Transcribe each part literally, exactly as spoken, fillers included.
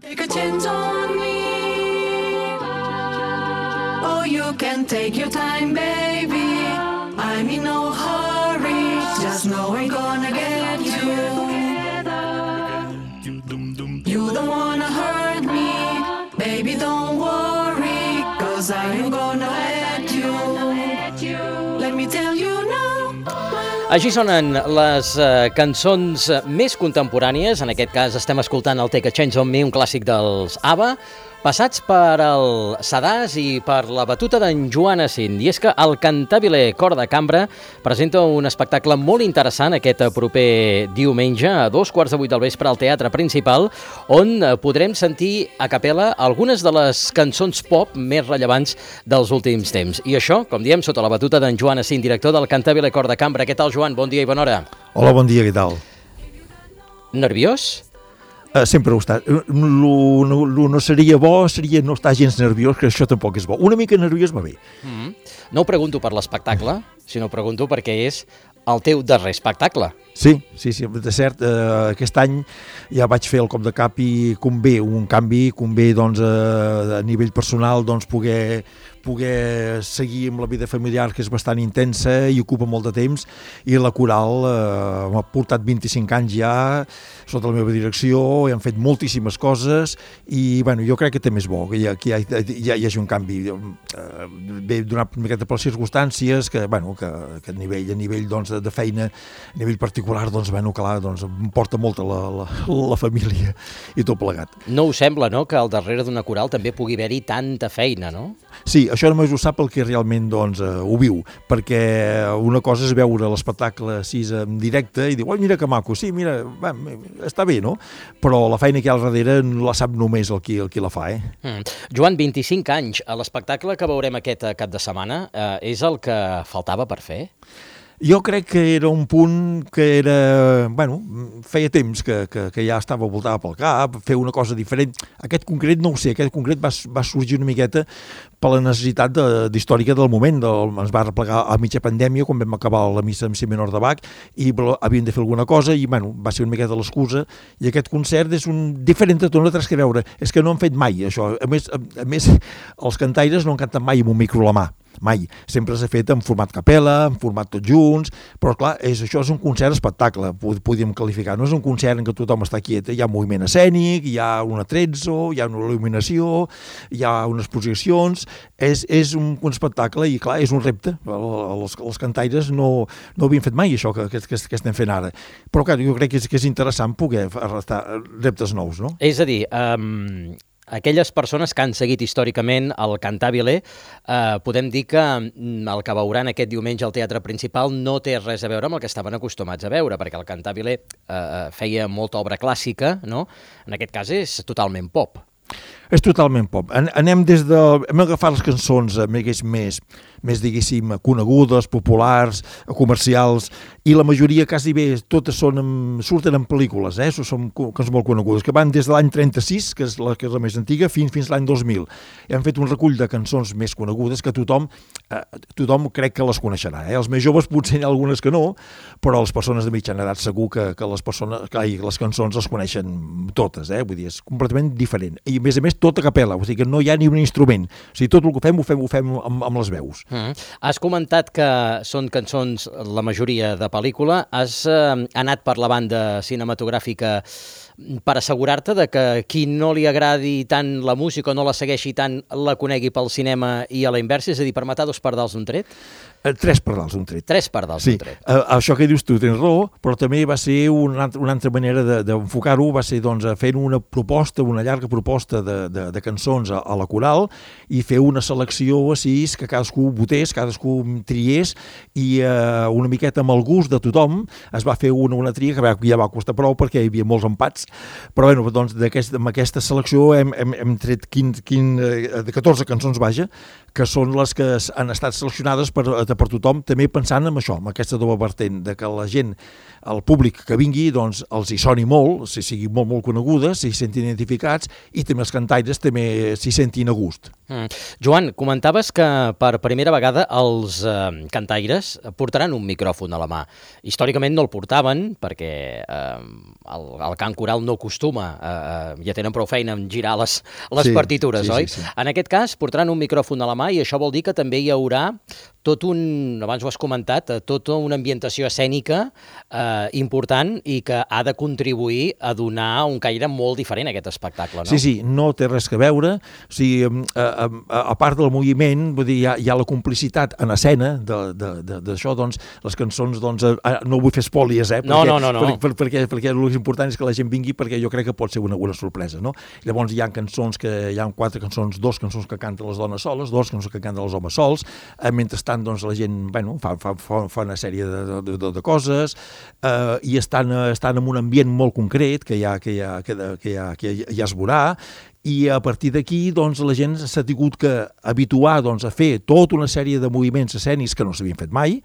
Take a chance on me. Oh, you can take your time, baby. I'm in no hurry. Just know I'm gonna get you. You don't wanna hurt me. Baby, don't worry. Cause I'm gonna let you. Let me tell you now. Així sonen les uh, cançons més contemporànies. En aquest cas estem escoltant el Take a Chance on Me, un clàssic dels ABBA, passats per el sedàs i per la batuta d'en Joan Asint. I és que el Cantabile Cor de Cambra presenta un espectacle molt interessant aquest proper diumenge a dos quarts de vuit del vespre al Teatre Principal, on podrem sentir a capella algunes de les cançons pop més rellevants dels últims temps. I això, com diem, sota la batuta d'en Joan Asint, director del Cantabile Cor de Cambra. Què tal, Joan? Bon dia i bona hora. Hola, bon dia, què tal? Nerviós? Uh, sempre ho està. Lo, no, lo no seria bo, seria no estar gens nerviós, que això tampoc és bo. Una mica nerviós va bé. Mm-hmm. No ho pregunto per l'espectacle, sinó ho pregunto perquè és el teu darrer espectacle. Sí, sí, sí, de cert, eh, aquest any ja vaig fer el cop de cap i convé un canvi, convé doncs, eh, a nivell personal doncs, poder, poder seguir amb la vida familiar, que és bastant intensa i ocupa molt de temps, i la coral eh, m'ha portat vint-i-cinc anys ja sota la meva direcció, i han fet moltíssimes coses i bueno, jo crec que també és bo que hi, ha, que hi, ha, hi, ha, hi hagi un canvi, eh, bé donat una miqueta per les circumstàncies, que, bueno, que, que a nivell, a nivell doncs, de feina, a nivell particular, doncs, bueno, clar, doncs, em porta molta la, la, la família i tot plegat. No us sembla, no?, que al darrere d'una coral també pugui haver-hi tanta feina, no? Sí, això només ho sap el que realment doncs, uh, ho viu, perquè una cosa és veure l'espectacle així en directe i dir, oi, mira que maco, sí, mira, va, està bé, no? Però la feina que hi ha al darrere no la sap només el qui, el qui la fa, eh? Mm. Joan, vint-i-cinc anys, a l'espectacle que veurem aquest cap de setmana, eh, és el que faltava per fer? Jo crec que era un punt que era, bueno, feia temps que, que, que ja estava voltada pel cap, fer una cosa diferent. Aquest concret no ho sé, aquest concret va, va sorgir una miqueta per la necessitat de, d'històrica del moment. Del, ens va replegar a mitja pandèmia, quan vam acabar la missa amb si menor de Bach, i havíem de fer alguna cosa, i bueno, va ser una miqueta l'excusa, i aquest concert és un diferent de tot, no tens que veure, és que no han fet mai això. A més, a, a més els cantaires no han cantat mai amb un micro a la mà. Mai. Sempre s'ha fet en format capella, en format tots junts, però clar, és, això és un concert espectacle, podríem qualificar. No és un concert en què tothom està quiet, hi ha moviment escènic, hi ha un atrezzo, hi ha una il·luminació, hi ha unes projeccions, és, és un, un espectacle i clar, és un repte. Els, els cantaires no, no havien fet mai això que, que, que estem fent ara. Però clar, jo crec que és, que és interessant poder arrestar reptes nous, no? És a dir, um... aquelles persones que han seguit històricament el Cantabile, eh, podem dir que el que veuran aquest diumenge al Teatre Principal no té res a veure amb el que estaven acostumats a veure, perquè el Cantabile eh, feia molta obra clàssica, no? En aquest cas és totalment pop. És totalment pop. Anem des de... Hem agafat les cançons més, més, més diguéssim, conegudes, populars, comercials, i la majoria, quasi bé, totes són en, surten en pel·lícules, eh? Són cançons molt conegudes, que van des de l'any trenta-sis, que és la, que és la més antiga, fins, fins l'any dos mil. I han fet un recull de cançons més conegudes que tothom, eh, tothom crec que les coneixerà. Eh? Els més joves potser hi ha algunes que no, però les persones de mitjana edat segur que, que, les, persones, que ai, les cançons les coneixen totes, eh? Vull dir, és completament diferent. I a més a més, tot a capella, o sigui que no hi ha ni un instrument. O sigui, tot el que fem ho fem, ho fem amb, amb les veus. Mm. Has comentat que són cançons, la majoria de pel·lícula. Has eh, anat per la banda cinematogràfica per assegurar-te de que qui no li agradi tant la música o no la segueixi tant la conegui pel cinema i a la inversa, és a dir, per matar dos pardals d'un tret? Tres pardals d'un tret. Tres pardals sí. d'un tret. Uh, això que dius tu tens raó, però també va ser una, una altra manera d'enfocar-ho, va ser doncs, fent una proposta, una llarga proposta de, de, de cançons a, a la coral i fer una selecció així que cadascú votés, cadascú triés i uh, una miqueta amb el gust de tothom es va fer una, una tria que ja va costar prou perquè hi havia molts empats, però bueno, doncs, aquest, amb aquesta selecció hem, hem, hem tret quinze, quinze, catorze cançons, vaja, que són les que han estat seleccionades per, per tothom, també pensant en això, amb aquesta doble vertent, de que la gent, el públic que vingui, doncs els hi soni molt, s'hi siguin molt, molt conegudes, s'hi sentin identificats i també els cantaires també s'hi sentin a gust. Mm. Joan, comentaves que per primera vegada els eh, cantaires portaran un micròfon a la mà. Històricament no el portaven perquè eh, el, el cant coral no acostuma, eh, ja tenen prou feina en girar les, les Sí, partitures, sí, oi? sí, sí. En aquest cas, portaran un micròfon a la mà i això vol dir que també hi haurà tot un, abans ho has comentat, eh, tota una ambientació escènica eh, important i que ha de contribuir a donar un caire molt diferent a aquest espectacle, no? Sí, sí, no té res que veure. O sigui, a, a, a part del moviment, vull dir, hi ha, hi ha la complicitat en escena d'això, doncs, les cançons, doncs, no vull fer espòlies, eh? Perquè, No, no, no, no. Per, per, perquè, perquè el més important és que la gent vingui, perquè jo crec que pot ser una, una sorpresa, no? Llavors hi ha cançons que, hi ha quatre cançons, dos cançons que canten les dones soles, dos cançons que canten els homes sols, eh, mentrestant, doncs, la gent, bueno, fa, fa, fa, fa una sèrie de, de, de, de coses, eh, i estan, estan en un ambient molt concret, que ja, que ja, que, que ja, que ja, ja es veurà, i a partir d'aquí, doncs, la gent s'ha tingut que habituar, doncs, a fer tota una sèrie de moviments escènics que no s'havien fet mai,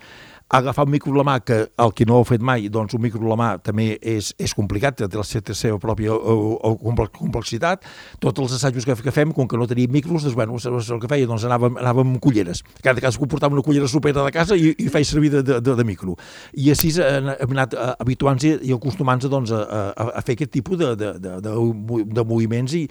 agafar un micro a la mà, que el que no ho ha fet mai, doncs un micro a la mà també és, és complicat, té la seva pròpia complexitat. Tots els assajos que, que fem, com que no teníem micros, doncs, bueno, el que feia, doncs anàvem, anàvem amb culleres. Cada cas portàvem una cullera supera de casa i, i feia servir de, de, de micro. I així hem anat habituant-se i acostumant-se, doncs, a, a, a fer aquest tipus de, de, de, de, de moviments i,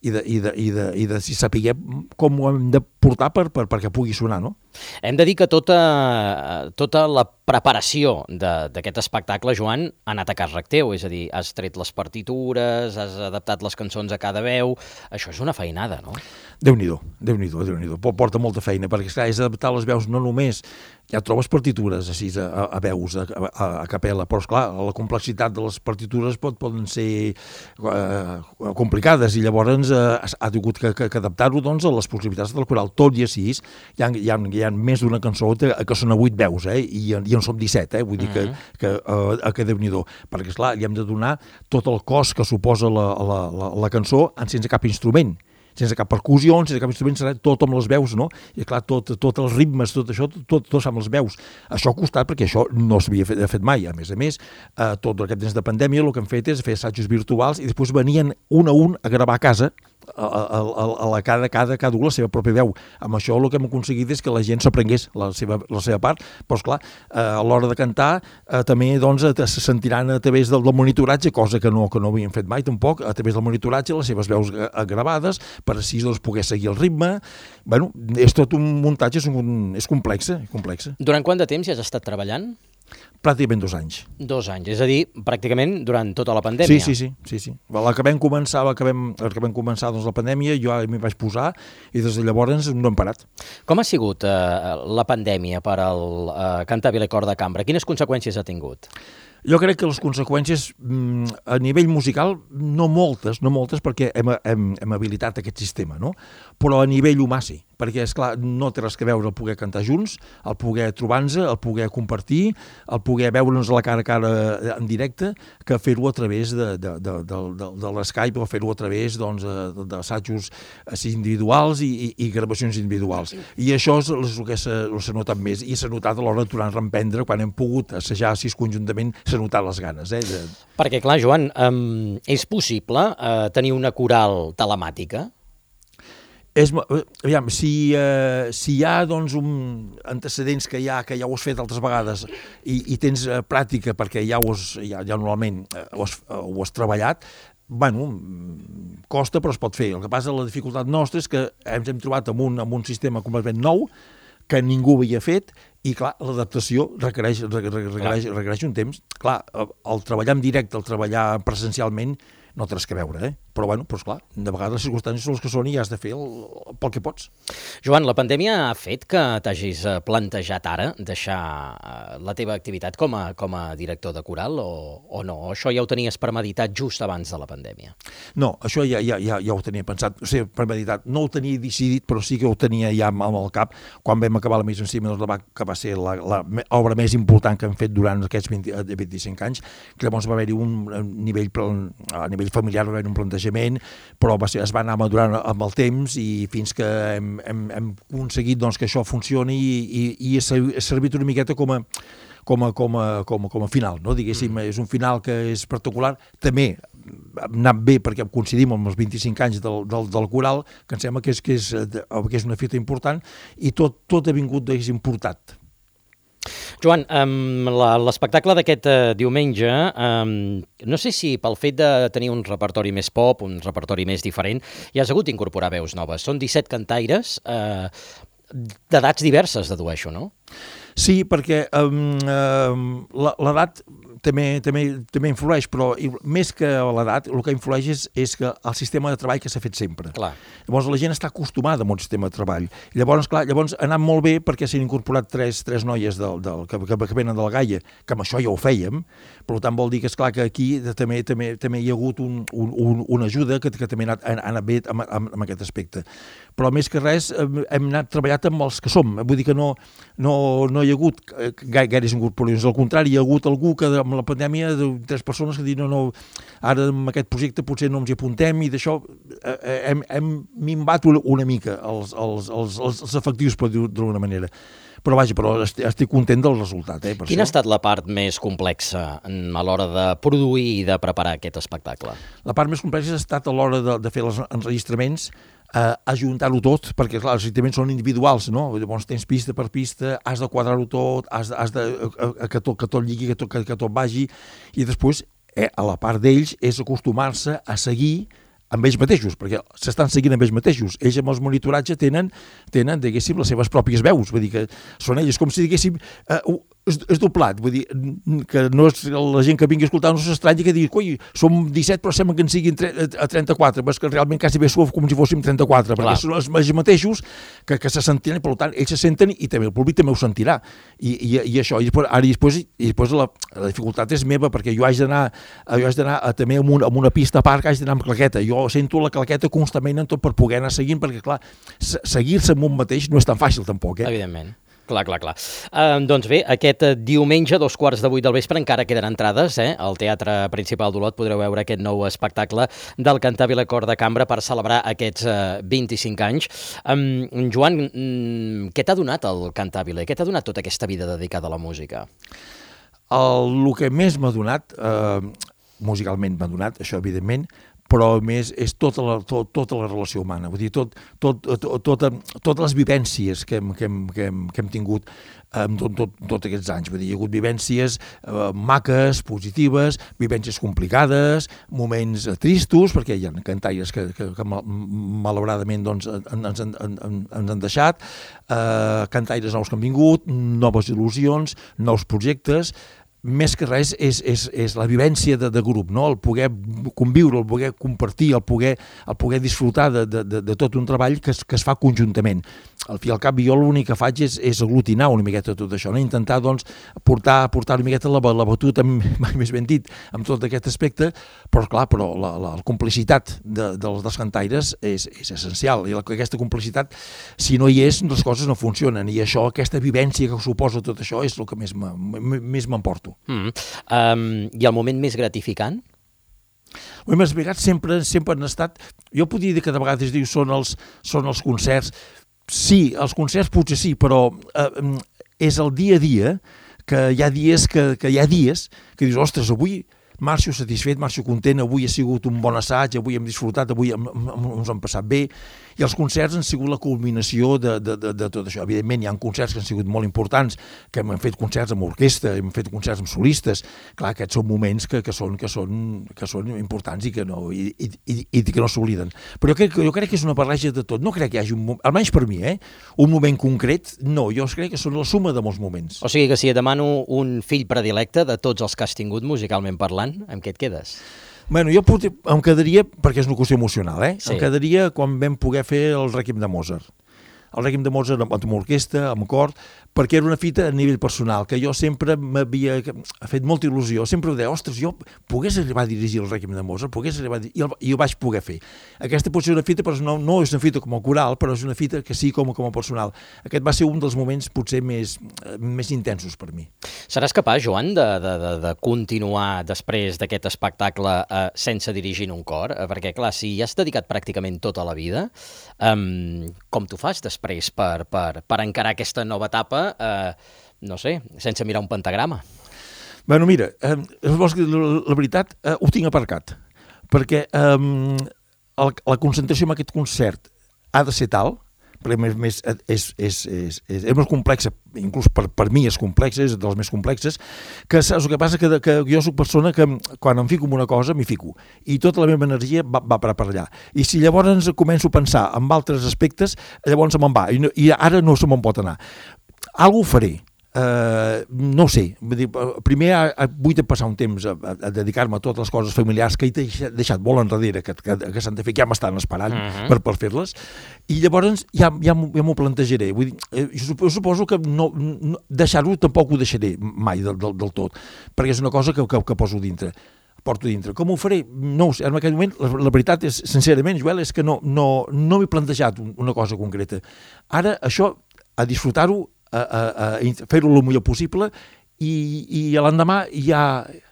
i de, i de, i de, i de si saber com ho hem de portar per, per, perquè pugui sonar, no? Hem de dir que tota, tota la preparació d'aquest espectacle, Joan, ha anat a càrrec teu, és a dir, has tret les partitures, has adaptat les cançons a cada veu, això és una feinada, no? Déu-n'hi-do, Déu-n'hi-do, Déu-n'hi-do, porta molta feina, perquè esclar, és adaptar les veus no només, ja trobes partitures així a, a veus, a, a, a capella, però esclar, la complexitat de les partitures pot, poden ser eh, complicades i llavors eh, ha tingut que, que, que adaptar-ho, doncs, a les possibilitats del coral. Tot i així, hi ha, hi ha, hi ha més d'una cançó que, que són a vuit veus, eh? I, i en som disset, eh? Vull dir que, que, uh, que Déu-n'hi-do, perquè esclar, li hem de donar tot el cos que suposa la, la, la, la cançó sense cap instrument, sense cap percussió, sense cap instrument, serà tot amb les veus, no? I clar, tot, tot els ritmes, tot això, tot, tot amb les veus. Això ha costat perquè això no s'havia fet, fet mai. A més a més, eh, tot aquest temps de pandèmia el que hem fet és fer assajos virtuals i després venien un a un a gravar a casa, a, a, a la cada, cada, cada un la seva pròpia veu. Amb això el que hem aconseguit és que la gent s'aprengués la seva, la seva part, però esclar, eh, a l'hora de cantar eh, també doncs, se sentiran a través del, del monitoratge, cosa que no, que no havien fet mai tampoc, a través del monitoratge les seves veus gravades, per així doncs, poder seguir el ritme. Bueno, és tot un muntatge, és, un, és complexa, complexa. Durant quant de temps ja has estat treballant? Pràcticament dos anys. Dos anys, és a dir, pràcticament durant tota la pandèmia. Sí, sí, sí. sí, sí. La que vam començar, la que vam, la que vam començar doncs, la pandèmia, jo m'hi vaig posar i des de llavors no hem parat. Com ha sigut eh, la pandèmia per al eh, Cantabile Cor de Cambra? Quines conseqüències ha tingut? Jo crec que les conseqüències a nivell musical, no moltes, no moltes perquè hem, hem, hem habilitat aquest sistema, no? Però a nivell humà sí, perquè, esclar, no té res que veure el poder cantar junts, el poder trobar-nos, el poder compartir, el poder veure'ns a la cara a cara en directe, que fer-ho a través de, de, de, de, de, de l'Skype o fer-ho a través doncs, d'assajos individuals i, i, i gravacions individuals. I això és el que s'ha notat més, i s'ha notat a l'hora de tornar a reemprendre, quan hem pogut assajar així conjuntament, s'ha notat les ganes. Eh? De... Perquè, clar, Joan, um, és possible uh, tenir una coral telemàtica? És, aviam, si, eh, si hi ha doncs, un antecedents que, ja, que ja ho has fet altres vegades i, i tens eh, pràctica perquè ja, ho has, ja, ja normalment eh, ho, has, ho has treballat, bueno, costa però es pot fer. El que passa, la dificultat nostra és que ens hem trobat amb un, amb un sistema completament nou que ningú havia fet i, clar, l'adaptació requereix, requereix, requereix un temps. Clar, el treballar en directe, el treballar presencialment, no té res que veure, eh? Però, bueno, però, esclar, de vegades les circumstàncies són les que són i has de fer el, pel que pots. Joan, la pandèmia ha fet que t'hagis plantejat ara deixar la teva activitat com a, com a director de coral o, o no? O això ja ho tenies premeditat just abans de la pandèmia? No, això ja, ja, ja, ja ho tenia pensat, o sigui, premeditat. No ho tenia decidit, però sí que ho tenia ja amb el cap. Quan vam acabar la Mise en Scène, doncs, que va ser la, la obra més important que hem fet durant aquests vint, vint-i-cinc anys, que llavors va haver-hi un nivell, a nivell familiar, va haver-hi un plantejament, però va ser, es va anar madurant amb el temps i fins que hem, hem, hem aconseguit doncs, que això funcioni i, i, i ha servit una miqueta com a, com a, com a, com a, com a final, no? Diguéssim, mm. és un final que és particular, també ha anat bé perquè coincidim amb els vint-i-cinc anys del, del, del coral, que em sembla que és, que és, que és una fita important i tot, tot ha vingut, diguéssim, portat. Joan, um, l'espectacle d'aquest uh, diumenge, um, no sé si pel fet de tenir un repertori més pop, un repertori més diferent, hi has hagut d'incorporar veus noves. Són disset cantaires uh, d'edats diverses, dedueixo, no? Sí, perquè um, um, l'edat també, també, també influeix, però més que l'edat, el que influeix és, és que el sistema de treball que s'ha fet sempre. Clar. Llavors la gent està acostumada a un sistema de treball. I llavors, clar, llavors ha anat molt bé perquè s'han incorporat tres, tres noies del, del, que, que, que venen de la Gaia, que amb això ja ho fèiem, per tant vol dir que, esclar, que aquí també, també, també hi ha hagut un, un, un, una ajuda que, que també ha anat, ha anat bé amb, amb, amb aquest aspecte. Però més que res hem anat treballat amb els que som, vull dir que no, no, no hi ha hagut gaires incorporacions, al contrari, hi ha hagut algú que amb la pandèmia, de tres persones que diuen no, no, ara amb aquest projecte potser no ens hi apuntem i d'això eh, hem, hem minvat una mica els, els, els, els efectius, per dir-ho d'alguna manera. Però vaja, però estic content del resultat. Eh, per Quina això. ha estat la part més complexa a l'hora de produir i de preparar aquest espectacle? La part més complexa ha estat a l'hora de, de fer els enregistraments, eh, ajuntar-ho tot, perquè clar, els enregistraments són individuals, no? Llavors tens pista per pista, has de quadrar-ho tot, has de, has de que, tot, que tot lligui, que tot, que, que tot vagi, i després, eh, a la part d'ells, és acostumar-se a seguir amb ells mateixos, perquè s'estan seguint amb ells mateixos. Ells amb els monitoratges tenen, tenen, diguéssim, les seves pròpies veus, vull dir que són ells com si, diguéssim, eh, és, és doblat, vull dir, que no és, la gent que vingui a escoltar no s'estranyi que digui, coi, som disset però sembla que en siguin a trenta-quatre, però és que realment quasi bé sou com si fóssim trenta-quatre, Clar. perquè són els, els mateixos que, que se sentiran, per tant, ells se senten i també el públic també ho sentirà. I, i, i això, i després, ara i després, i després la, la dificultat és meva, perquè jo haig d'anar, jo haig d'anar també amb una, amb una pista a part, haig d'anar amb claqueta. Jo sento la claqueta constantment en tot per poder anar seguint, perquè clar, seguir-se amb un mateix no és tan fàcil tampoc, eh? Evidentment. Clar, clar, clar. Uh, doncs bé, aquest diumenge, dos quarts de vuit del vespre, encara queden entrades, eh? Al Teatre Principal d'Olot podreu veure aquest nou espectacle del Cantabile Cor de Cambra per celebrar aquests uh, vint-i-cinc anys. Um, Joan, um, què t'ha donat el Cantabile? Què t'ha donat tota aquesta vida dedicada a la música? El, el que més m'ha donat, eh, musicalment m'ha donat, això evidentment, però a més és tota la, tot, tota la relació humana, vull dir, tot, tot, tot, tota, totes les vivències que hem, que hem, que hem, que hem tingut en tot, tot, tot aquests anys, vull dir, hi ha hagut vivències eh, maques, positives, vivències complicades, moments tristos, perquè hi ha cantaires que, que, que malauradament doncs, ens, en, en, ens han deixat, eh, cantaires nous que han vingut, noves il·lusions, nous projectes. Més que res és, és, és la vivència de, de grup, no? El poder conviure, el poder compartir, el poder, el poder disfrutar de, de, de, de tot un treball que es, que es fa conjuntament. Al fi i al cap, jo l'únic que faig és, és aglutinar una miqueta tot això, no? Intentar doncs, portar, portar una miqueta la, la batuta, mai més ben dit, amb tot aquest aspecte, però clar, però la, la, la complicitat de, dels, dels cantaires és, és essencial, i la, aquesta complicitat, si no hi és, les coses no funcionen, i això, aquesta vivència que suposa tot això, és el que més m'emporto. Mm. Um, I el moment més gratificant? El moment més gratificant sempre, sempre han estat, jo podria dir que de vegades diu, són els, són els concerts, sí, els concerts potser sí, però eh, és el dia a dia, que hi ha dies que, que hi ha dies que dius, ostres, avui marxo satisfet, marxo content, avui ha sigut un bon assaig, avui hem disfrutat, avui hem, hem, ens hem passat bé, i els concerts han sigut la culminació de, de, de, de tot això. Evidentment, hi ha concerts que han sigut molt importants, que hem fet concerts amb orquestra, hem fet concerts amb solistes, clar, aquests són moments que, que, són, que, són, que són importants i que no, i, i, i que no s'obliden. Però jo crec, jo crec que és una barreja de tot, no crec que hi hagi un moment, almenys per mi, eh, un moment concret, no, jo crec que són la suma de molts moments. O sigui que si et demano un fill predilecte de tots els que has tingut musicalment parlant, amb què et quedes? Bueno, jo pot, em quedaria, perquè és una qüestió emocional, eh? Sí. Em quedaria quan vam poder fer el Rèquiem de Mozart. El Rèquiem de Mozart amb, amb orquestra, amb cor, perquè era una fita a nivell personal, que jo sempre m'havia fet molta il·lusió, sempre ho deia, ostres, jo pogués arribar a dirigir el Rèquiem de Mozart, pogués arribar a dirigir, i, el, i ho vaig poder fer. Aquesta pot ser una fita, però no, no és una fita com a coral, però és una fita que sí com, com a personal. Aquest va ser un dels moments potser més, més intensos per mi. Seràs capaç, Joan, de, de, de, de continuar després d'aquest espectacle eh, sense dirigir un cor? Eh, perquè, clar, si ja has dedicat pràcticament tota la vida, eh, com t'ho fas després per, per, per encarar aquesta nova etapa, eh, no sé, sense mirar un pentagrama? Bueno, mira, eh, la, la veritat eh, ho tinc aparcat, perquè eh, el, la concentració en aquest concert ha de ser tal, perquè més, més és, és, és, és, és més complexa, inclús per, per mi és complexa, és de les més complexes, que saps el que passa? Que, que jo soc persona que quan em fico en una cosa, m'hi fico, i tota la meva energia va, va per allà. I si llavors començo a pensar en altres aspectes, llavors se me'n va, i, no, i ara no se me'n pot anar. Algo ho faré. Uh, no ho sé, vull dir, primer vull passar un temps a, a, a dedicar-me a totes les coses familiars que he deixat, deixat molt enrere, que, que, que s'han de fer, que ja m'estan esperant uh -huh. per, per fer-les, i llavors ja, ja, ja m'ho plantejaré. Vull dir, jo suposo que no, no, deixar-ho tampoc ho deixaré mai del, del, del tot, perquè és una cosa que, que, que poso dintre. porto dintre. Com ho faré? No ho sé. En aquell moment, la, la veritat és, sincerament, Joel, és que no, no, no m'he plantejat una cosa concreta. Ara, això, a disfrutar-ho, a, a, a fer-ho el millor possible, i, i l'endemà ja,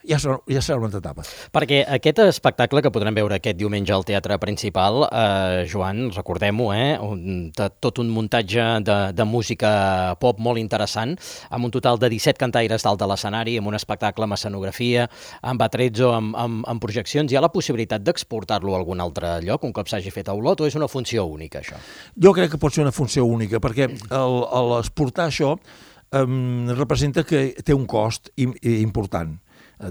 ja, serà, ja serà una altra etapa. Perquè aquest espectacle que podrem veure aquest diumenge al Teatre Principal, eh, Joan, recordem-ho, eh, un, tot un muntatge de, de música pop molt interessant, amb un total de disset cantaires dalt de l'escenari, amb un espectacle amb escenografia, amb atrezzo, amb, amb, amb projeccions. Hi ha la possibilitat d'exportar-lo a algun altre lloc, un cop s'hagi fet a Olot, o és una funció única, això? Jo crec que pot ser una funció única, perquè l'exportar això Um, representa que té un cost im, important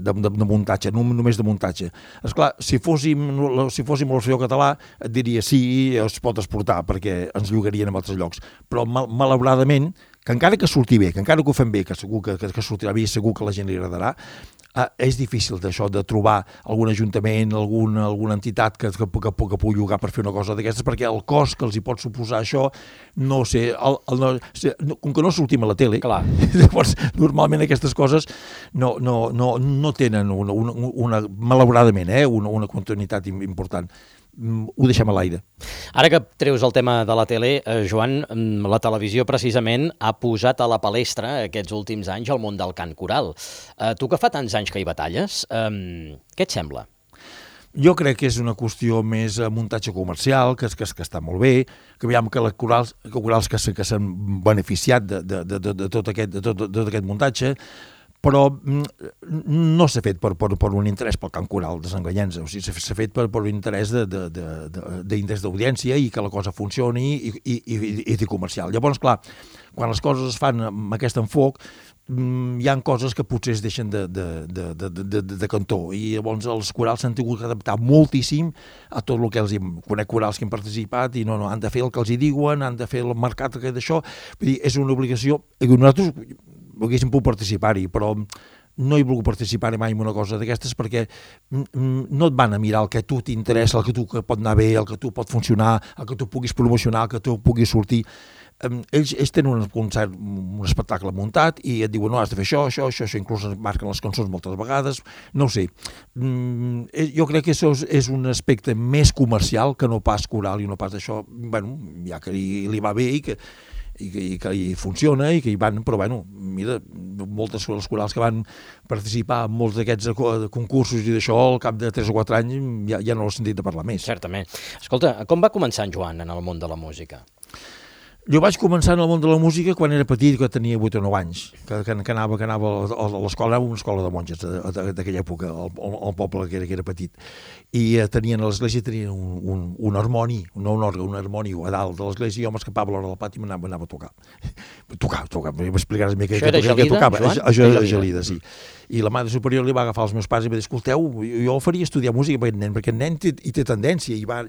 de, de, de muntatge, no només de muntatge. Esclar, si fóssim, si fóssim l'Orfeó Català, et diria sí, es pot exportar, perquè ens llogarien en altres llocs. Però, mal, malauradament, que encara que surti bé, que encara que ho fem bé, que segur que, que, que sortirà bé i segur que a la gent li agradarà, eh, és difícil d'això, de trobar algun ajuntament, alguna, alguna entitat que, que, que, que pugui llogar per fer una cosa d'aquestes, perquè el cost que els hi pot suposar això, no sé, el, el, no, com que no sortim a la tele, clar. Llavors, normalment aquestes coses no, no, no, no tenen una, una, una malauradament, eh, una, una continuïtat important. Ho deixem a l'aire. Ara que treus el tema de la tele, eh, Joan, la televisió precisament ha posat a la palestra aquests últims anys el món del cant coral. Eh, tu que fa tants anys que hi batalles, eh, què et sembla? Jo crec que és una qüestió més muntatge comercial, que, que, que està molt bé, que veiem que les corals, que, corals que, que s'han beneficiat de, de, de, de, tot aquest, de, tot, de tot aquest muntatge, però no s'ha fet per, per, per un interès pel cant coral, desenganyant-se, o sigui, s'ha fet per, per un interès d'interès d'audiència i que la cosa funcioni i, i, i, i de comercial. Llavors, clar, quan les coses es fan amb aquest enfoc, hi ha coses que potser es deixen de, de, de, de, de, de, de cantó, i llavors els corals s'han tingut que adaptar moltíssim a tot el que els hi... Conec corals que han participat i no, no, han de fer el que els hi diuen, han de fer el mercat d'això, vull dir, és una obligació, i nosaltres haguéssim pogut participar-hi, però no he volgut participar mai en una cosa d'aquestes perquè no et van a mirar el que a tu t'interessa, el que tu que pot anar bé, el que tu pot funcionar, el que tu puguis promocionar, el que tu puguis sortir. Ells, ells tenen un concert, un espectacle muntat i et diuen, no, has de fer això, això, això, això, inclús marquen les cançons moltes vegades, no ho sé. Jo crec que això és un aspecte més comercial que no pas coral i no pas això, bueno, ja que li, li va bé i que i que, i que hi funciona i que hi van, però bueno, mira, moltes de les corals que van participar en molts d'aquests concursos i d'això, al cap de tres o quatre anys ja, ja no l'he sentit de parlar més. Certament. Escolta, com va començar en Joan en el món de la música? Jo vaig començar en el món de la música quan era petit, que tenia vuit o nou anys, que, que, que anava, que anava a l'escola, anava a una escola de monges d'aquella època, al, al poble que era, que era petit, i eh, tenien a l'església tenien un, un, un harmoni, no un òrgan, un harmoni a dalt de l'església, i jo m'escapava a l'hora del pati i m'anava, anava a tocar. Tocar, tocar, m'explicaràs mi què tocava. Això era Gelida, sí. I la mare superior li va agafar els meus pares i va dir, escolteu, jo faria estudiar música per aquest nen, perquè el nen té, hi té tendència, i va...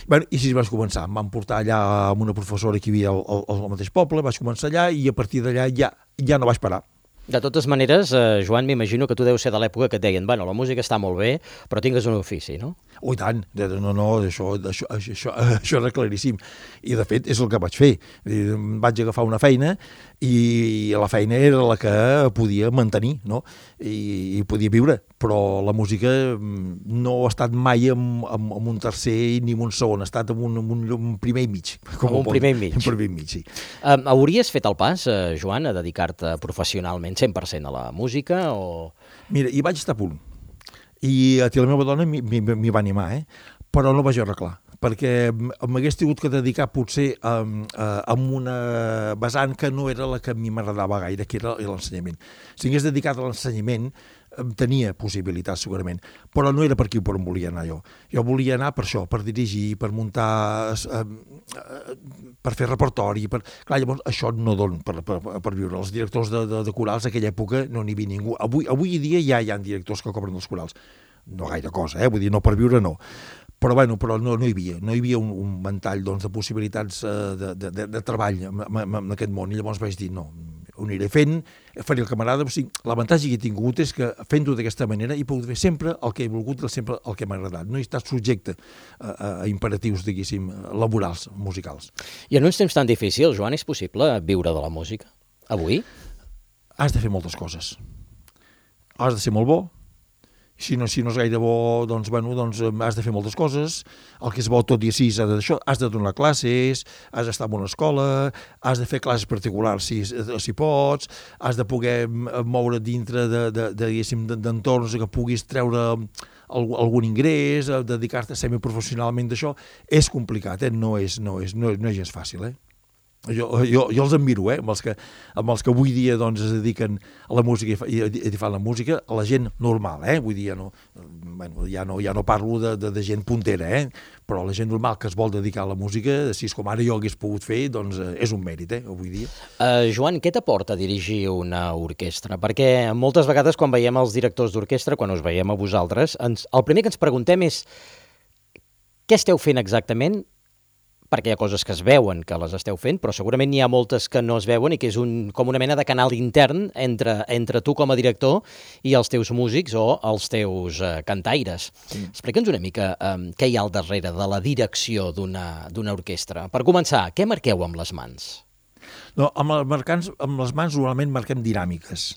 Bueno, i així vaig començar, em van portar allà amb una professora que hi havia al, al, al mateix poble, vaig començar allà i a partir d'allà ja, ja no vaig parar. De totes maneres, eh, Joan, m'imagino que tu deus ser de l'època que et deien, bueno, la música està molt bé, però tingues un ofici, no? Oh, i tant, no, no, això, això, això, això era claríssim. I, de fet, és el que vaig fer. Vaig agafar una feina i la feina era la que podia mantenir, no? I, i podia viure, però la música no ha estat mai en, en, en un tercer ni en un segon, ha estat en un, en un, un primer i mig. Com un primer i mig. Un primer i mig, sí. Um, hauries fet el pas, eh, Joan, a dedicar-te professionalment cent per cent a la música o...? Mira, hi vaig estar a punt. I a ti la meva dona m'hi va animar, eh? Però no vaig arreglar, perquè m'hagués tingut que dedicar potser a, a, a una vessant que no era la que a mi m'agradava gaire, que era l'ensenyament. Si hagués dedicat a l'ensenyament, tenia possibilitats segurament, però no era per aquí per on volia anar jo. Jo volia anar per això, per dirigir, per muntar, eh, per fer repertori, per... Clar, llavors això no dona per, per, per viure. Els directors de, de, de corals d'aquella època no n'hi havia ningú. Avui, avui dia ja hi ha directors que cobren els corals. No gaire cosa, eh? Vull dir, no per viure no. Però, bueno, però no, no hi havia, no hi havia un, un ventall doncs, de possibilitats eh, de, de, de, de treball en, en, en aquest món, i llavors vaig dir, no, ho aniré fent, faré el que m'agrada. O sigui, l'avantatge que he tingut és que fent-ho d'aquesta manera he pogut fer sempre el que he volgut, sempre el que m'ha agradat. No he estat subjecte a, a imperatius, diguéssim, laborals, musicals. I en uns temps tan difícils, Joan, és possible viure de la música? Avui? Has de fer moltes coses. Has de ser molt bo. Si no, si no és gaire bo, doncs, bueno, doncs has de fer moltes coses. El que és bo tot i així d'això, has de donar classes, has d'estar en una escola, has de fer classes particulars si, si pots, has de poder moure dintre de, de, de, de, d'entorns que puguis treure algun ingrés, dedicar-te semiprofessionalment d'això. És complicat, eh? no, és, no, és, no, no és gens fàcil, eh? Jo, jo, jo els admiro, eh? amb, els que, amb els que avui dia doncs, es dediquen a la música i, i, i fan la música, a la gent normal, eh? Vull dir, ja no, bueno, ja no, ja no parlo de, de, de gent puntera, eh? Però la gent normal que es vol dedicar a la música, si és com ara jo hagués pogut fer, doncs és un mèrit, eh? Avui dia. Uh, Joan, què t'aporta dirigir una orquestra? Perquè moltes vegades quan veiem els directors d'orquestra, quan us veiem a vosaltres, ens, el primer que ens preguntem és què esteu fent exactament? Perquè hi ha coses que es veuen que les esteu fent, però segurament n'hi ha moltes que no es veuen i que és un, com una mena de canal intern entre, entre tu com a director i els teus músics o els teus uh, cantaires. Mm. Explica'ns una mica um, què hi ha al darrere de la direcció d'una d'una orquestra. Per començar, què marqueu amb les mans? No, amb, els marcants, amb les mans normalment marquem dinàmiques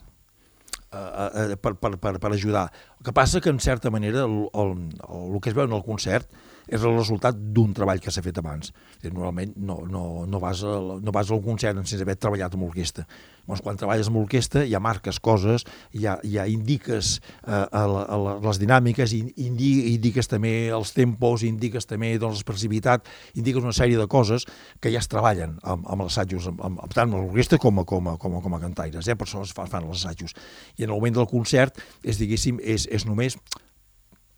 uh, uh, per, per, per, per ajudar. El que passa que, en certa manera, el, el, el, el que es veu en el concert és el resultat d'un treball que s'ha fet abans. Normalment no, no, no, vas a, no vas a un concert sense haver treballat amb l'orquestra. Llavors, quan treballes amb l'orquestra ja marques coses, ja, ja indiques eh, a la, a la, les dinàmiques, indi, indiques també els tempos, indiques també doncs, l'expressivitat, indiques una sèrie de coses que ja es treballen amb, amb els assajos, amb, amb, tant amb l'orquestra com a, com a, com a, com a cantaires, eh? Per això es fan, fan els assajos. I en el moment del concert és, diguéssim, és, és només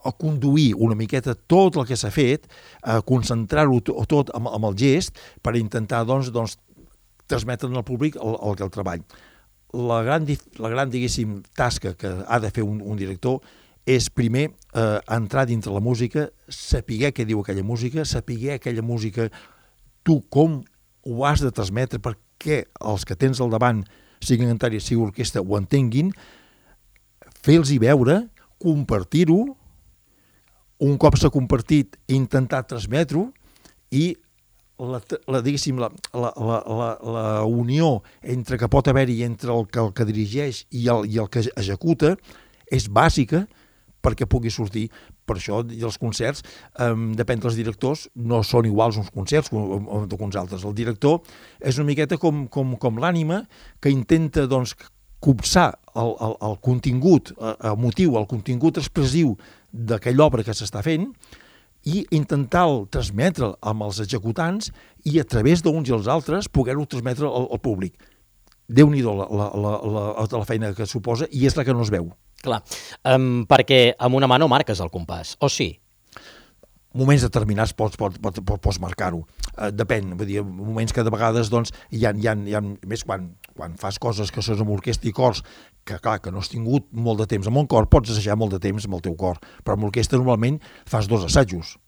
a conduir una miqueta tot el que s'ha fet, a concentrar-ho tot amb, amb el gest per intentar doncs, doncs, transmetre al públic el, el, el treball. La gran, la gran diguéssim, tasca que ha de fer un, un director és primer eh, entrar dintre la música, saber què diu aquella música, saber aquella música tu com ho has de transmetre perquè els que tens al davant, siguin cantaris, sigui orquestra, ho entenguin, fer-los veure, compartir-ho, un cop s'ha compartit, intentar transmetre-ho i la, la, diguéssim, la, la, la, la, la unió entre que pot haver-hi entre el que, el que dirigeix i el, i el que executa és bàsica perquè pugui sortir. Per això els concerts, eh, depèn dels directors, no són iguals uns concerts com, com uns altres. El director és una miqueta com, com, com l'ànima que intenta doncs, copsar el, el, el contingut emotiu, el contingut expressiu d'aquella obra que s'està fent i intentar transmetre amb els executants i a través d'uns i els altres poder-ho transmetre al, al públic. Déu-n'hi-do la, la, la, la, la feina que suposa i és la que no es veu. Clar, um, perquè amb una mà no marques el compàs, o sí? Moments determinats pots, pots, pots, pots marcar-ho. Uh, depèn, vull dir, moments que de vegades doncs, hi ha, hi ha, hi ha més quan, quan fas coses que són amb orquestra i cors, que clar, que no has tingut molt de temps amb un cor, pots assajar molt de temps amb el teu cor, però amb l'orquestra normalment fas dos assajos,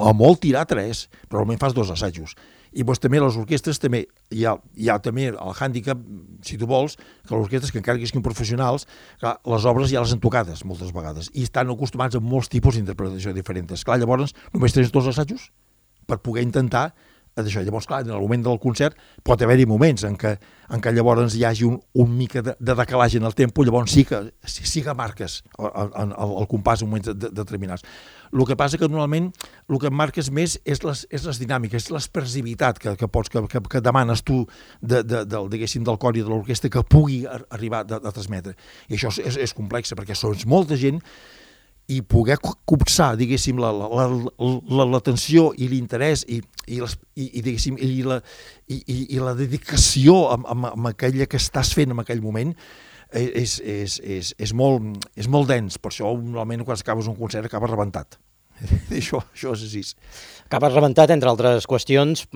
o molt tirar tres, però normalment fas dos assajos. I doncs també les orquestres també, hi ha, hi ha també el hàndicap, si tu vols, que les orquestres, que encara que siguin professionals, clar, les obres ja les han tocades moltes vegades i estan acostumats a molts tipus d'interpretació diferents. Clar, llavors només tens dos assajos per poder intentar d'això. Llavors, clar, en el moment del concert pot haver-hi moments en què, en què llavors hi hagi un, un mica de, de decalatge en el tempo, llavors sí que, sí que marques el, el, el compàs en moments de, de, determinats. El que passa que normalment el que marques més és les, és les dinàmiques, és l'expressivitat que, que, pots, que, que, que demanes tu de, de, de, diguéssim, del cor i de l'orquestra que pugui arribar a, a transmetre. I això és, és complex perquè són molta gent i poder copsar, diguéssim, la, la, la, l'atenció i l'interès i, i, les, i, i, diguéssim, i, la, i, i la dedicació amb, amb, amb aquella que estàs fent en aquell moment és, és, és, és, molt, és molt dens, per això normalment quan acabes un concert acabes rebentat. això, això és així. Acabes rebentat, entre altres qüestions,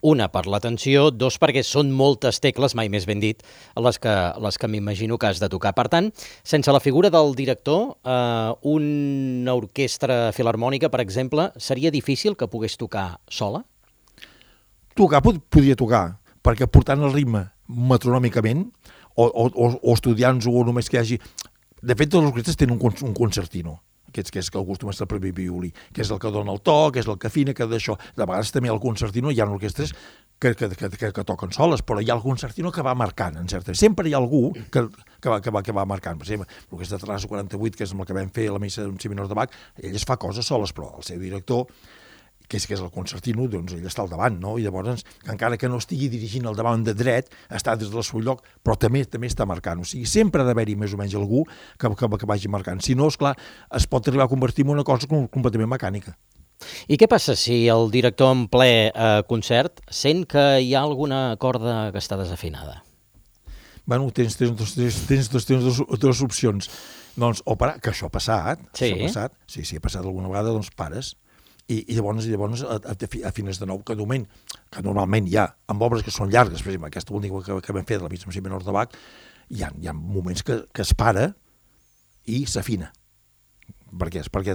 una per la tensió, dos perquè són moltes tecles, mai més ben dit, les que, les que m'imagino que has de tocar. Per tant, sense la figura del director, eh, una orquestra filharmònica, per exemple, seria difícil que pogués tocar sola? Tocar pod podria tocar, perquè portant el ritme metronòmicament, o, o, o estudiants o només que hi hagi... De fet, totes les orquestres tenen un, un concertino, que és, que és que el costum és el primer violí, que és el que dona el to, que és el que afina, que d'això. De vegades també el concertino hi ha orquestres que, que, que, que, que toquen soles, però hi ha el concertino que va marcant, en certa. Sempre hi ha algú que, que, va, que, va, que va marcant. Per exemple, l'orquestra de Terrassa quaranta-vuit, que és amb el que vam fer la missa d'un si menor de Bach, ell es fa coses soles, però el seu director, que és, que és el concertino, doncs ell està al davant, no? I llavors, encara que no estigui dirigint al davant de dret, està des del seu lloc, però també també està marcant. O sigui, sempre ha d'haver-hi més o menys algú que, que, que vagi marcant. Si no, esclar, es pot arribar a convertir en una cosa completament mecànica. I què passa si el director en ple eh, concert sent que hi ha alguna corda que està desafinada? Bueno, tens, tens, tens, tens, tens, tens, tens dos, dues opcions. Doncs, o parar, que això ha passat, sí. això ha passat, sí, sí, ha passat alguna vegada, doncs pares, i, i llavors, i llavors afines de nou, que, moment, que normalment hi ha, amb obres que són llargues, per exemple, aquesta última que, que vam fer de la missa si menor de Bach, hi ha, hi ha moments que, que es para i s'afina. Per què? Perquè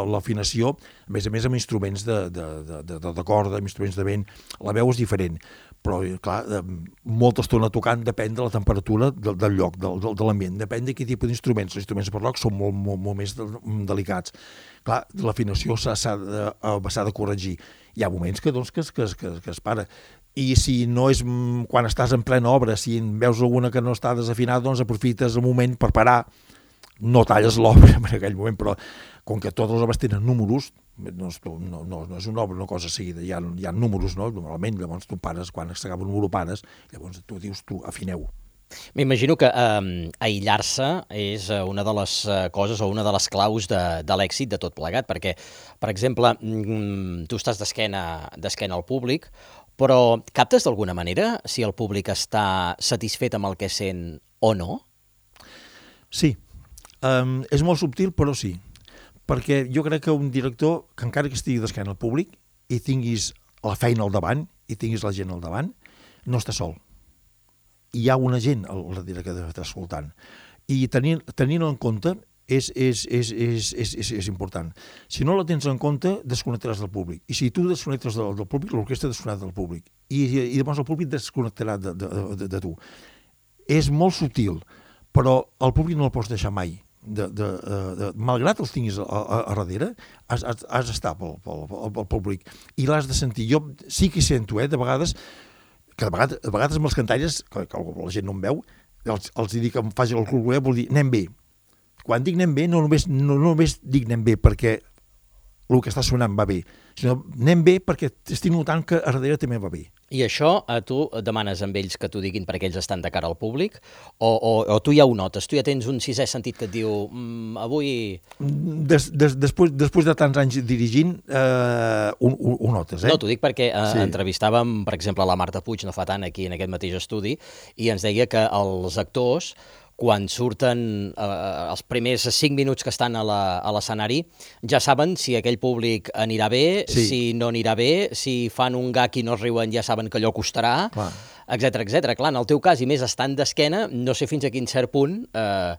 l'afinació, a més a més, amb instruments de, de, de, de, de corda, amb instruments de vent, la veu és diferent, però, clar, molta estona tocant depèn de la temperatura del, del lloc, del, de l'ambient, depèn de quin tipus d'instruments. Els instruments per rock són molt, molt, molt més delicats. Clar, l'afinació s'ha de, de corregir. Hi ha moments que, doncs, que, que, que, que es para. I si no és quan estàs en plena obra, si veus alguna que no està desafinada, doncs aprofites el moment per parar. No talles l'obra en aquell moment, però com que totes les obres tenen números, no, no, no, no és una obra, una cosa seguida, hi ha, hi ha números, no? Normalment, llavors tu pares, quan s'acaba un número pares, llavors tu dius, tu afineu. M'imagino que eh, aïllar-se és una de les coses o una de les claus de, de l'èxit de tot plegat, perquè, per exemple, tu estàs d'esquena d'esquena al públic, però captes d'alguna manera si el públic està satisfet amb el que sent o no? Sí. Um, és molt subtil, però sí, perquè jo crec que un director, que encara que estigui d'esquena al públic i tinguis la feina al davant i tinguis la gent al davant, no està sol. Hi ha una gent al darrere que està escoltant. I tenint, tenint en compte és, és, és, és, és, és, és important. Si no la tens en compte, desconnectaràs del públic. I si tu desconnectes del, del públic, l'orquestra desconnectarà del públic. I, i, i llavors el públic desconnectarà de, de, de, de tu. És molt subtil, però el públic no el pots deixar mai. De, de, de, de, malgrat els tinguis a, a, a darrere, has, has, has d'estar pel, pel, pel públic i l'has de sentir. Jo sí que hi sento, eh, de vegades, que de vegades, de vegades amb els cantaires, que, que la gent no em veu, els, els dic que em faci el cul, vol dir anem bé. Quan dic anem bé, no només, no, no només dic anem bé perquè el que està sonant va bé, sinó anem bé perquè estic notant que a darrere també va bé. I això a tu demanes amb ells que t'ho diguin perquè ells estan de cara al públic? O, o, o tu ja ho notes? Tu ja tens un sisè sentit que et diu mmm, avui... Des, des, després, després de tants anys dirigint, eh, ho, ho, ho notes, eh? No, t'ho dic perquè eh, sí. entrevistàvem, per exemple, la Marta Puig no fa tant aquí en aquest mateix estudi i ens deia que els actors, quan surten eh, els primers cinc minuts que estan a l'escenari, ja saben si aquell públic anirà bé, sí. si no anirà bé, si fan un gag i no es riuen ja saben que allò costarà, etcètera, etcètera. Clar, en el teu cas, i més estant d'esquena, no sé fins a quin cert punt eh,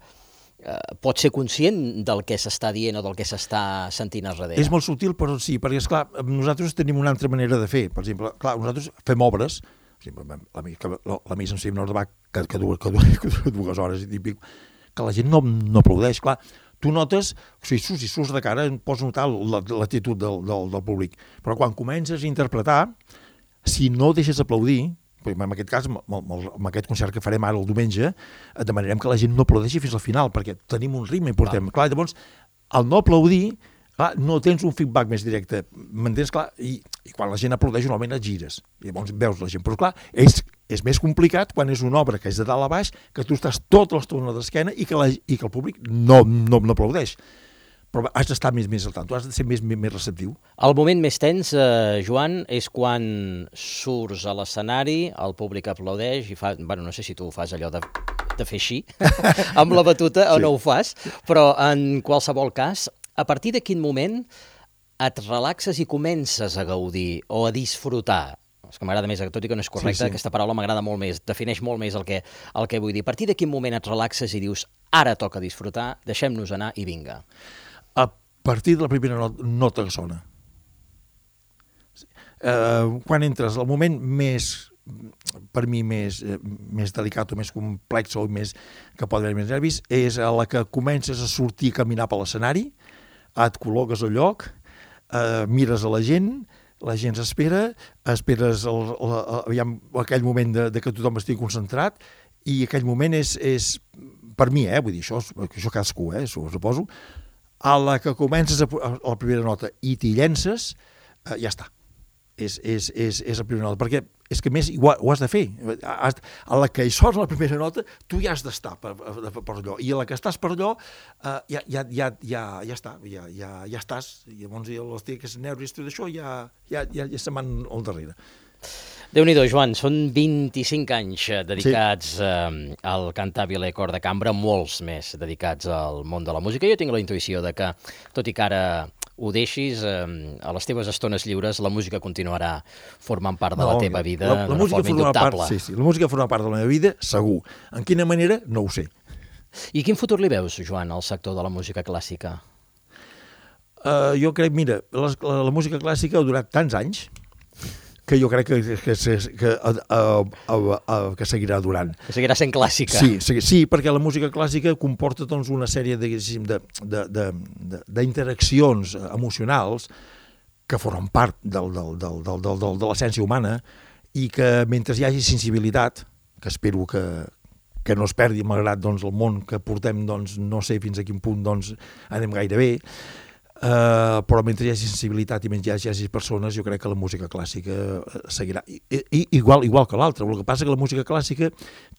eh, pots ser conscient del que s'està dient o del que s'està sentint a darrere. És molt subtil, però sí, perquè, esclar, nosaltres tenim una altra manera de fer. Per exemple, clar, nosaltres fem obres, la, la, la missa en si menor de Bach, que, que, dura, que, dura, que dura dues hores i típic, que la gent no, no aplaudeix. Clar, tu notes, o sigui, si surts de cara, pots notar l'actitud del, del, del públic, però quan comences a interpretar, si no deixes aplaudir, en aquest cas, amb aquest concert que farem ara el diumenge, demanarem que la gent no aplaudeixi fins al final, perquè tenim un ritme i portem. Clar, llavors, al no aplaudir, clar, no tens un feedback més directe, m'entens? Clar, i, i quan la gent aplaudeix normalment et gires, i llavors veus la gent, però clar, és, és més complicat quan és una obra que és de dalt a baix, que tu estàs tota l'estona d'esquena i, que la, i que el públic no, no, no aplaudeix. Però has d'estar més, més al tant, tu has de ser més, més receptiu. El moment més tens, eh, Joan, és quan surts a l'escenari, el públic aplaudeix i fa, bueno, no sé si tu fas allò de... de fer així, amb la batuta o sí. no ho fas, però en qualsevol cas, a partir de quin moment et relaxes i comences a gaudir o a disfrutar? És que m'agrada més, tot i que no és correcte, sí, sí. aquesta paraula m'agrada molt més, defineix molt més el que, el que vull dir. A partir de quin moment et relaxes i dius, ara toca disfrutar, deixem-nos anar i vinga? A partir de la primera nota que sona. Uh, quan entres, el moment més, per mi, més, eh, més delicat o més complex o més, que pot haver més nervis, és a la que comences a sortir a caminar per l'escenari, et col·loques al lloc, uh, mires a la gent, la gent s'espera, esperes el, el, el, aquell moment de, de que tothom estigui concentrat i aquell moment és, és per mi, eh, vull dir, això, això cadascú, eh, suposo, a la que comences a, a la primera nota i t'hi llences, eh, ja està. És, és, és, és la primera nota, perquè és que més ho, ho has de fer. Has, a la que hi sona la primera nota, tu ja has d'estar per, per, per allò, i a la que estàs per allò, uh, ja, ja, ja, ja, ja està, ja, ja, ja estàs, i llavors els tics nervis i tot això ja, ja, ja, ja se'n van al darrere. Déu-n'hi-do, Joan, són vint-i-cinc anys dedicats sí. eh, al Cantabile Cor de Cambra, molts més dedicats al món de la música. Jo tinc la intuïció de que, tot i que ara ho deixis, eh, a les teves estones lliures la música continuarà formant part de no, la teva vida la, la d'una forma indubtable. Part, sí, sí, la música forma part de la meva vida, segur. En quina manera, no ho sé. I quin futur li veus, Joan, al sector de la música clàssica? Uh, jo crec, mira, la, la, la música clàssica ha durat tants anys que jo crec que, que, que, que, uh, uh, uh, que seguirà durant. Que seguirà sent clàssica. Sí, sí, sí, perquè la música clàssica comporta doncs, una sèrie d'interaccions emocionals que formen part del, del, del, del, del, del, de l'essència humana i que mentre hi hagi sensibilitat, que espero que, que no es perdi, malgrat doncs, el món que portem, doncs, no sé fins a quin punt doncs, anem gaire bé, Uh, però mentre hi hagi sensibilitat i mentre hi hagi persones, jo crec que la música clàssica seguirà I, i, igual, igual que l'altra. El que passa que la música clàssica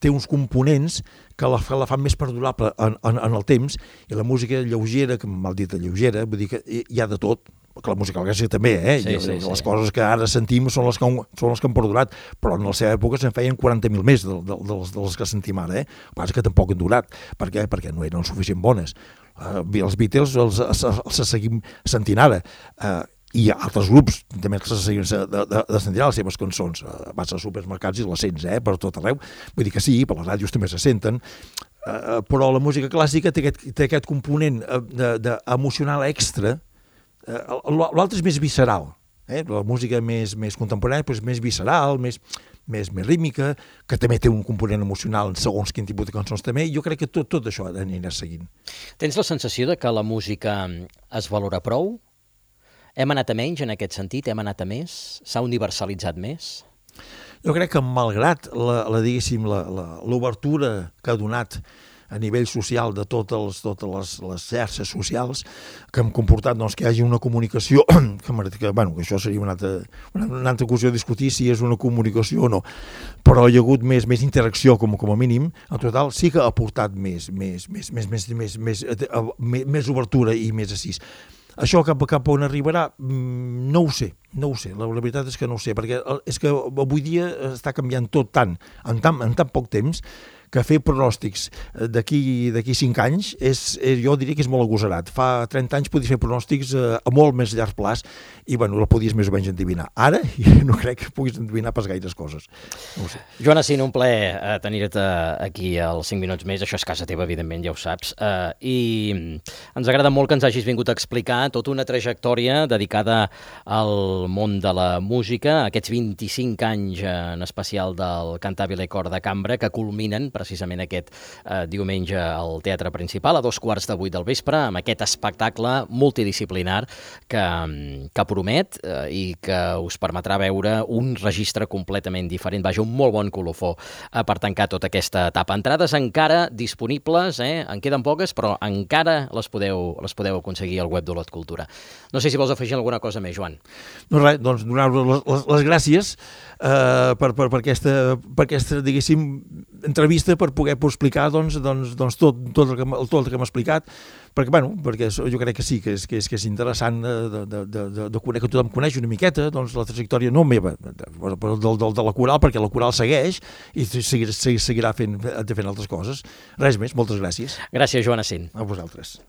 té uns components que la, la fan més perdurable en, en, en el temps, i la música lleugera, que mal dit lleugera, vull dir que hi ha de tot, que la música clàssica també, eh? Sí, sí, les sí. coses que ara sentim són les que, són les que han perdurat, però en la seva època se'n feien quaranta mil més de, de, de, les, de les que sentim ara, eh? El que passa que tampoc han durat. Per què? Perquè no eren suficient bones. Uh, els Beatles els, els, els seguim sentint ara, uh, i altres grups també que se seguim de, de, de sentir les seves cançons. Uh, vas als supermercats i les sents, eh, per tot arreu. Vull dir que sí, per les ràdios també se senten, uh, però la música clàssica té aquest, té aquest component uh, de, de emocional extra. Uh, l'altre és més visceral, eh? La música més, més contemporània però és més visceral, més... Més, més rítmica, que també té un component emocional en segons quin tipus de cançons també, i jo crec que tot, tot això anirà seguint. Tens la sensació de que la música es valora prou? Hem anat a menys en aquest sentit? Hem anat a més? S'ha universalitzat més? Jo crec que malgrat la, la, diguéssim, l'obertura que ha donat a nivell social de totes les, totes les, les xarxes socials que han comportat doncs, que hi hagi una comunicació que, que, bueno, que això seria una altra, una, una altra qüestió a discutir si és una comunicació o no, però hi ha hagut més, més interacció com, com a mínim. En total sí que ha aportat més, més, més, més, més, més, més, més, més obertura i més assís. Això cap, cap on arribarà, no ho sé, no ho sé, la, la veritat és que no ho sé, perquè és que avui dia està canviant tot tant, en tan, en tan poc temps, que fer pronòstics d'aquí d'aquí cinc anys, és, és, jo diria que és molt agosarat. Fa trenta anys podies fer pronòstics a, a molt més llarg plaç i bueno, la podies més o menys endevinar. Ara no crec que puguis endevinar pas gaires coses. No ho sé. Joan Assin, un plaer eh, tenir-te aquí als cinc minuts més. Això és casa teva, evidentment, ja ho saps. Eh, I ens agrada molt que ens hagis vingut a explicar tota una trajectòria dedicada al món de la música, aquests vint-i-cinc anys en especial del Cantabile Cor de Cambra, que culminen precisament aquest eh, diumenge al Teatre Principal, a dos quarts de vuit del vespre, amb aquest espectacle multidisciplinar que, que promet eh, i que us permetrà veure un registre completament diferent. Vaja, un molt bon colofó eh, per tancar tota aquesta etapa. Entrades encara disponibles, eh? En queden poques, però encara les podeu, les podeu aconseguir al web d'Olot Cultura. No sé si vols afegir alguna cosa més, Joan. No res, doncs donar-vos les, les, les gràcies eh, per, per, per, aquesta, per aquesta, diguéssim, entrevista per poder explicar doncs, doncs, doncs tot, tot, el que, tot el que hem explicat, perquè, bueno, perquè jo crec que sí, que és, que és, que és interessant de, de, de, de, de conèixer, que tothom coneix una miqueta doncs, la trajectòria no meva, però de, de, de la coral, perquè la coral segueix i seguirà, seguirà fent, fent altres coses. Res més, moltes gràcies. Gràcies, Joan Assin. A vosaltres.